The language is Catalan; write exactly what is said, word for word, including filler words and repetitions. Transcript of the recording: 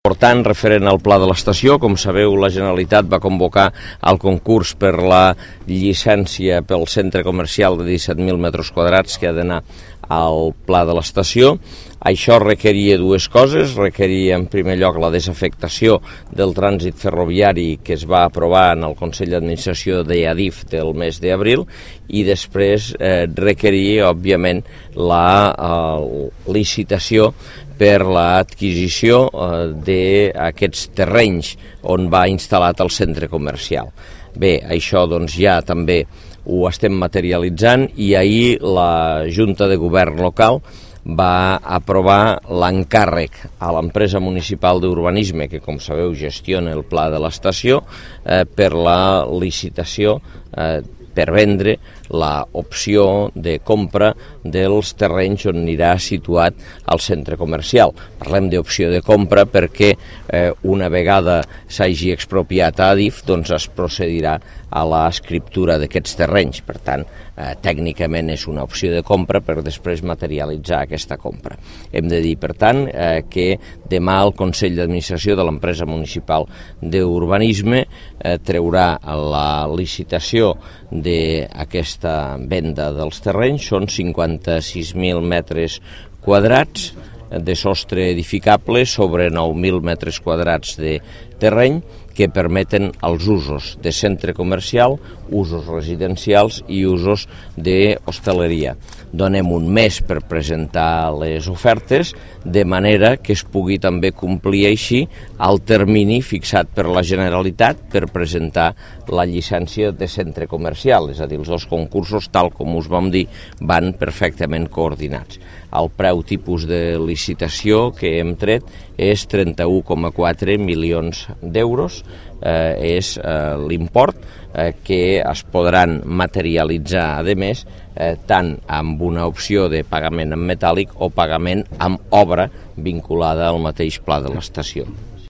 Important referent al pla de l'estació. Com sabeu, la Generalitat va convocar el concurs per la llicència pel centre comercial de disset mil metres quadrats que ha d'anar al pla de l'estació. Això requeria dues coses. Requeria, en primer lloc, la desafectació del trànsit ferroviari que es va aprovar en el Consell d'Administració d'Adif del mes d'abril i després eh, requeria, òbviament, la eh, licitació per l'adquisició eh, d'aquests terrenys on va instal·lat el centre comercial. Bé, això doncs ja també ho estem materialitzant i ahir la Junta de Govern local va aprovar l'encàrrec a l'empresa municipal d'urbanisme, que com sabeu gestiona el pla de l'estació, eh, per la licitació eh, per vendre l'opció de compra dels terrenys on anirà situat el centre comercial. Parlem d'opció de compra perquè eh, una vegada s'hagi expropiat a Adif, doncs es procedirà a l'escriptura d'aquests terrenys. Per tant, eh, tècnicament és una opció de compra per després materialitzar aquesta compra. Hem de dir, per tant, eh, que demà el Consell d'Administració de l'empresa municipal d'urbanisme eh, treurà la licitació d'aquesta venda dels terrenys. Són cinquanta-sis mil metres quadrats de sostre edificable sobre nou mil metres quadrats de terreny que permeten els usos de centre comercial, usos residencials i usos d'hostaleria. Donem un mes per presentar les ofertes, de manera que es pugui també complir així el termini fixat per la Generalitat per presentar la llicència de centre comercial, és a dir, els dos concursos, tal com us vam dir, van perfectament coordinats. El preu tipus de licitació que hem tret és trenta-u coma quatre milions d'euros, eh, és eh, l'import eh, que es podran materialitzar, a més, eh, tant amb una opció de pagament en metàl·lic o pagament amb obra vinculada al mateix pla de l'estació.